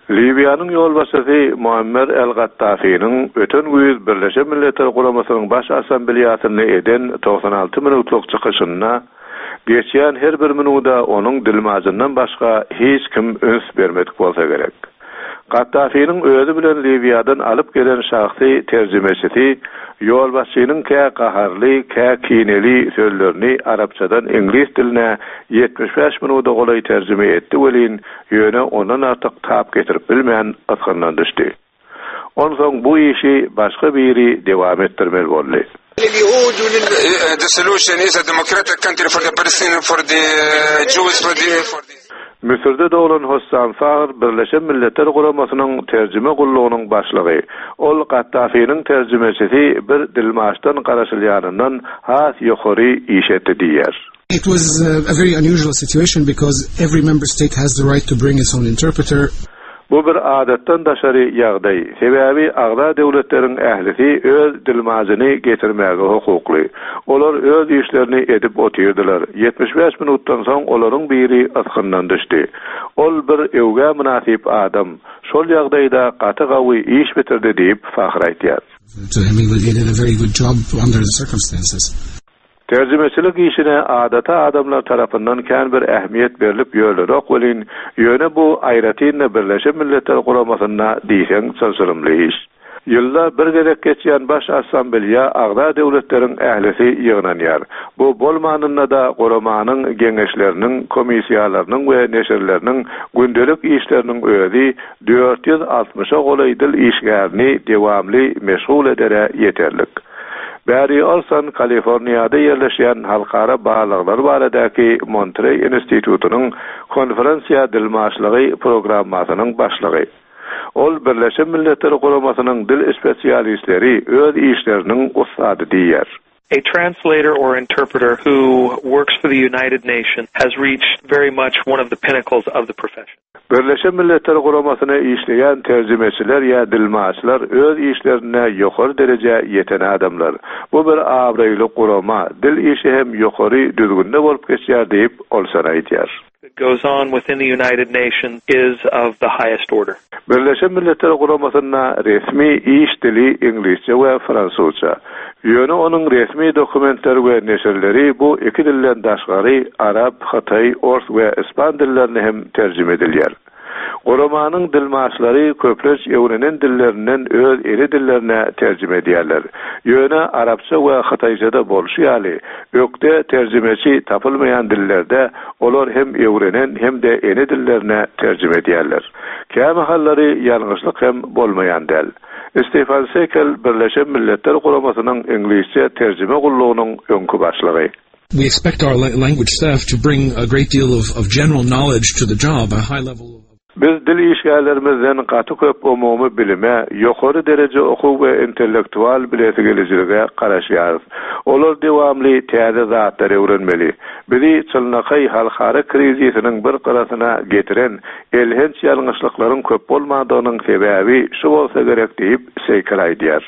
Liwiýanyň ýolbaşçysy Muammer el-Gaddafiniň öten güýz Birleşen Milletler Guramasynyň Baş Assambleýasynda eden 96 minutlyk çykyşynda geçýän her bir minuda onuň dilmajyndan başga hiç kim üns bermedik bolsa gerek. Gaddafiniň özi bilen Liwiýadan alyp gelen şahsy terjimeçisi ýolbaşçynyň kä gaharly, kä kineli sözlerini arapçadan iňlis diline 75 minuda golaý terjime etdi welin, ýöne ondan artyk tap getirip bilmän ysgyndan düşdi. Onsoň bu işi başga biri dewam etdirmeli boldy. The solution is a democratic country for the Palestinian, for the Jews, for the, for the. Müsürde doglan Hossam Fahr Birleşen Milletler Guramasynyň terjime gullugynyň başlygy. Ol Gaddafiniň terjimeçisi bir dilmaçdan garaşylýanyndan has ýokary iş etdi diýýär. It was a very unusual situation because every member state has the right to bring its own interpreter. Bu bir adatdan daşary ýagdaý, sebäbi agza döwletleriň ählisi öz dilmajyny getirmäge hukukly. Olar öz işlerini edip otyrdylar. 75 minutdan soň olaryň biri ysgyndan düşdi. Ol bir öwgä mynasyp adam, şol ýagdaýda gaty gawy iş bitirdi diýip, Fahr aýdýar. To him he did a very good job under the circumstances. Terjimeçilik işine adaty adamlar tarapyndan kän bir ähmiýet berlip ýörlenok welin, ýöne bu aýratyn-da Birleşen Milletler Guramasynda diýseň çylşyrymly iş. Ýylda bir gezek geçýän Baş Assambleýa agza döwletleriň ählisi ýygnanýar. Bu bolmanynda-da guramanyň geňeşleriniň, komissiýalarynyň we neşirleriniň gündelik işleriniň özi 460-a golaý dil işgärini dewamly meşgul edere ýeterlik. Barry Olson Kaliforniýada ýerleşýän Halkara barlaglar baradaky Montreý institutynyň konferensiýa dilmaçlygy programmasynyň başlygy. Ol Birleşen Milletler Guramasynyň dil spesialistleri öz işleriniň ussady diýýär. A translator or interpreter who works for the United Nations has reached very much one of the pinnacles of the profession. Birleşen Milletler Guramasyna işleýän terjimeçiler ýa dilmaçlar öz işlerinde ýokary derejä ýeten adamlar. Bu bir abraýly gurama, dil işi hem ýokary düzgünde bolup geçýär diýip, Olson aýdýar. That goes on within the United Nations is of the highest order. Birleşen Milletler Guramasynda resmi iş dili iňlisçe we fransuzça. Ýöne onuň resmi dokumentleri we neşirleri bu iki dilden daşgary arap, hytaý, ors we ispan dillerine hem terjime edilýär. Guramanyň dilmaçlary köplenç öwrenen dillerinden öz ene dillerine terjime edýärler. Ýöne arapça we hytaýçada bolşy ýaly, ökde terjimeçi tapylmaýan dillerde olar hem öwrenen hem-de ene dillerine terjime edýärler. Kämahallary ýalňyşlyk hem bolmaýan däl. Stefan Sekel Birleşen Milletler Guramasynyň iňlisçe terjime gullugynyň öňki başlygy. We expect our language staff to bring a great deal of of general knowledge to the job, a high level of. Biz dil işgärlerimizden gaty köp umumy bilime, ýokary dereje okuw we intellektual bilesigelijilige garaşýarys. Olar dewamly täze zatlar öwrenmeli. Bizi çynlakaý halkara krizisiniň bir gyrasyna getiren elhenç ýalňyşlyklaryň köp bolmandygynyň sebäbi şu bolsa gerek diýip, Seýkel aýdýar.